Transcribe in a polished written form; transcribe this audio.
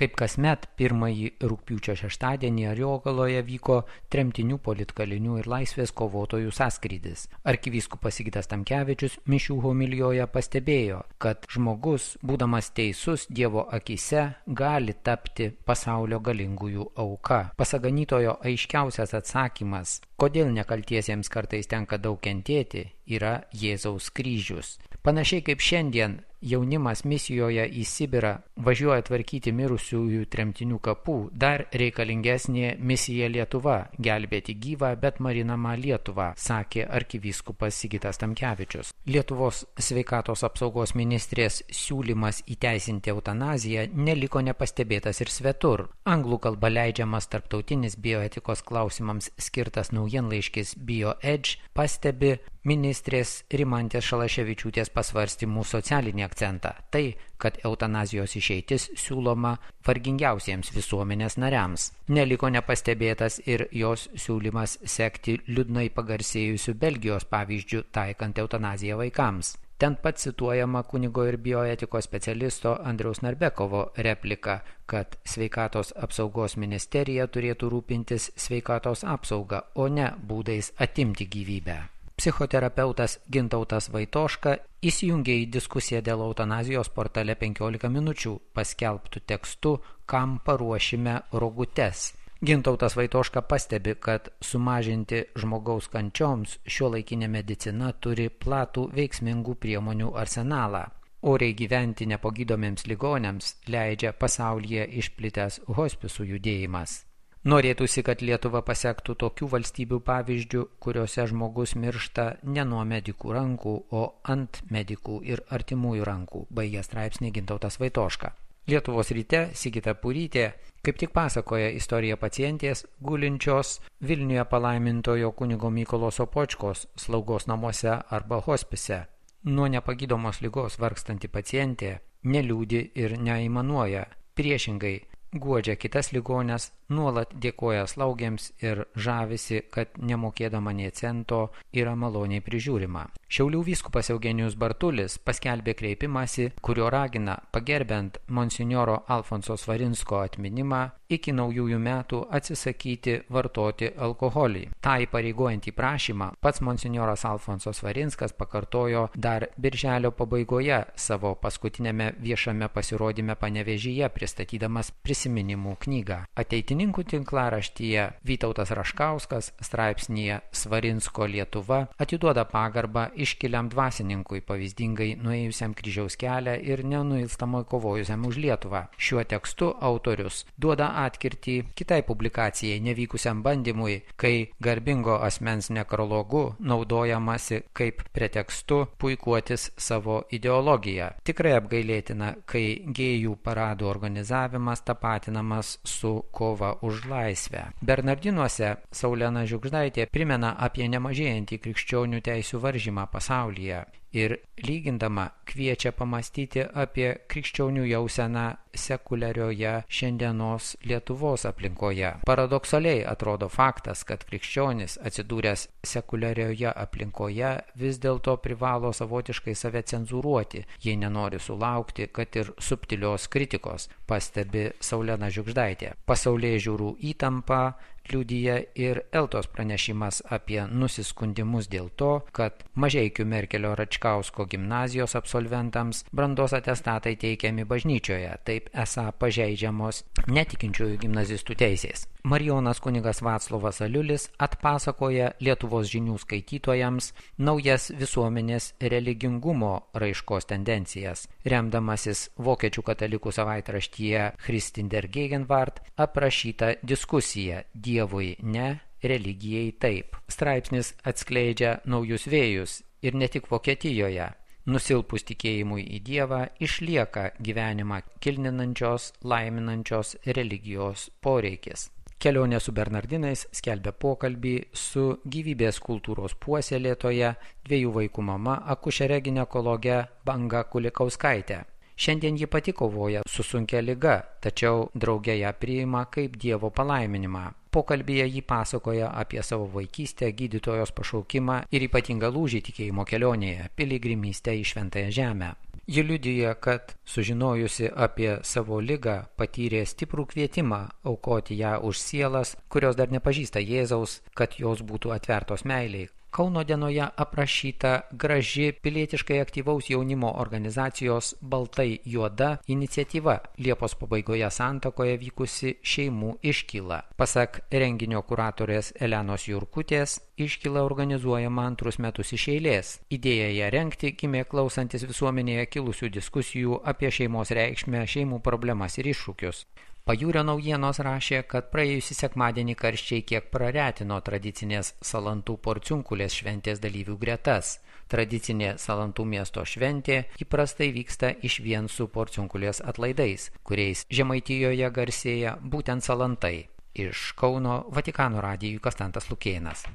Kaip kasmet, pirmąjį rugpjūčio šeštadienį Ariogaloje vyko tremtinių politkalinių ir laisvės kovotojų sąskrydis. Arkivyskupas Sigitas Tamkevičius mišių homilijoje pastebėjo, kad žmogus, būdamas teisus Dievo akyse, gali tapti pasaulio galingųjų auka. Pasak ganytojo aiškiausias atsakymas, kodėl nekaltiesiems kartais tenka daug kentėti, yra Jėzaus kryžius. Panašiai kaip šiandien jaunimas misijoje į Sibirą važiuoja tvarkyti mirusiųjų tremtinių kapų, dar reikalingesnė misija Lietuva – gelbėti gyvą, bet marinamą Lietuvą, sakė arkivyskupas Sigitas Tamkevičius. Lietuvos sveikatos apsaugos ministrės siūlymas įteisinti eutanaziją neliko nepastebėtas ir svetur. Anglų kalba leidžiamas tarptautinis bioetikos klausimams skirtas naujienlaiškis BioEdge pastebi ministrės Rimantės Šalaševičiūtės pasvarstymų socialinį akcentą. Tai, kad eutanazijos išeitis siūloma vargingiausiems visuomenės nariams. Neliko nepastebėtas ir jos siūlymas sekti liūdnai pagarsėjusių Belgijos pavyzdžių taikant eutanaziją vaikams. Ten pat cituojama kunigo ir bioetikos specialisto Andriaus Narbekovo replika, kad sveikatos apsaugos ministerija turėtų rūpintis sveikatos apsauga, o ne būdais atimti gyvybę. Psichoterapeutas Gintautas Vaitoška įsijungė į diskusiją dėl eutanazijos portale 15 minučių paskelbtų tekstu Kam paruošime rogutes. Gintautas Vaitoška pastebi, kad sumažinti žmogaus kančioms šiuolaikinė medicina turi platų veiksmingų priemonių arsenalą. Oriai gyventi nepagydomiems ligoniams leidžia pasaulyje išplitęs hospisų judėjimas. Norėtųsi, kad Lietuva pasektų tokių valstybių pavyzdžių, kuriuose žmogus miršta ne nuo medikų rankų, o ant medikų ir artimųjų rankų, baigė straipsnį Gintautas Vaitoška. Lietuvos ryte Sigita Purytė kaip tik pasakoja istoriją pacientės gulinčios Vilniuje palaimintojo kunigo Mykolo Sopočkos slaugos namuose arba hospise. Nuo nepagydomos ligos vargstanti pacientė neliūdi ir neaimanuoja, priešingai guodžia kitas ligones, nuolat dėkoja slaugėms ir žavisi, kad nemokėdama nė cento yra maloniai prižiūrima. Šiaulių vyskupas Eugenijus Bartulis paskelbė kreipimąsi, kurio ragina, pagerbiant monsinjoro Alfonso Svarinsko atminimą, iki naujųjų metų atsisakyti vartoti alkoholį. Ta įpareigojantį prašymą pats monsinjoras Alfonso Svarinskas pakartojo dar birželio pabaigoje savo paskutinėme viešame pasirodyme Panevėžyje, pristatydamas prisiminimų knygą. Ateitininkų tinklaraštyje Vytautas Raškauskas straipsnyje Svarinsko Lietuva atiduoda pagarbą iškiliam dvasininkui, pavyzdingai nuėjusiam kryžiaus kelią ir nenuilstamai kovojusiam už Lietuvą. Šiuo tekstu autorius duoda atkirtį kitai publikacijai nevykusiam bandymui, kai garbingo asmens nekrologu naudojamasi kaip pretekstu puikuotis savo ideologiją. Tikrai apgailėtina, kai gėjų paradų organizavimas tapatinamas su kova už laisvę. Bernardinuose Saulena Žiugždaitė primena apie nemažėjantį krikščionių teisių varžymą pasaulyje ir lygindama kviečia pamastyti apie krikščionių jauseną sekuliarioje šiandienos Lietuvos aplinkoje. Paradoksaliai atrodo faktas, kad krikščionis atsidūręs sekuliarioje aplinkoje vis dėlto privalo savotiškai save cenzūruoti, jei nenori sulaukti, kad ir subtilios kritikos, pastebi Saulena Žiugždaitė. Pasaulėžiūrų įtampa liudija ir Eltos pranešimas apie nusiskundimus dėl to, kad Mažeikių Merkelio Račkausko gimnazijos absolventams brandos atestatai teikiami bažnyčioje, taip esą pažeidžiamos netikinčiųjų gimnazistų teisės. Marijonas kunigas Vaclovas Aliulis atpasakoja Lietuvos žinių skaitytojams naujas visuomenės religingumo raiškos tendencijas, remdamasis vokiečių katalikų savaitraštyje Christin der Gegenwart aprašyta diskusija Dievui ne, religijai taip. Straipsnis atskleidžia naujus vėjus ir ne tik Vokietijoje. Nusilpus tikėjimui į Dievą išlieka gyvenimą kilninančios, laiminančios religijos poreikis. Kelionė su Bernardinais skelbia pokalbį su gyvybės kultūros puoselėtoja, 2 vaikų mama, akušere ginekologe Banga Kulikauskaitė. Šiandien ji pati kovoja su sunkia liga, tačiau drauge ją priima kaip Dievo palaiminimą. Pokalbyje ji pasakoja apie savo vaikystę, gydytojos pašaukimą ir ypatingą lūžį tikėjimo kelionėje – piligrimystę į Šventąją Žemę. Ji liudija, kad sužinojusi apie savo ligą patyrė stiprų kvietimą aukoti ją už sielas, kurios dar nepažįsta Jėzaus, kad jos būtų atvertos meiliai. Kauno dienoje aprašyta graži pilietiškai aktyvaus jaunimo organizacijos Baltai juoda iniciatyva Liepos pabaigoje Santakoje vykusi šeimų iškyla. Pasak renginio kuratorės Elenos Jurkutės, iškyla organizuojama 2 metus iš eilės. Idėja ją rengti gimė klausantis visuomenėje kilusių diskusijų apie šeimos reikšmę, šeimų problemas ir iššūkius. Pajūrio naujienos rašė, kad praėjusį sekmadienį karščiai kiek praretino tradicinės Salantų Porciunkulės šventės dalyvių gretas. Tradicinė Salantų miesto šventė įprastai vyksta išvien su Porciunkulės atlaidais, kuriais Žemaitijoje garsėja būtent Salantai. Iš Kauno Vatikano radijui Konstantas Lukėnas.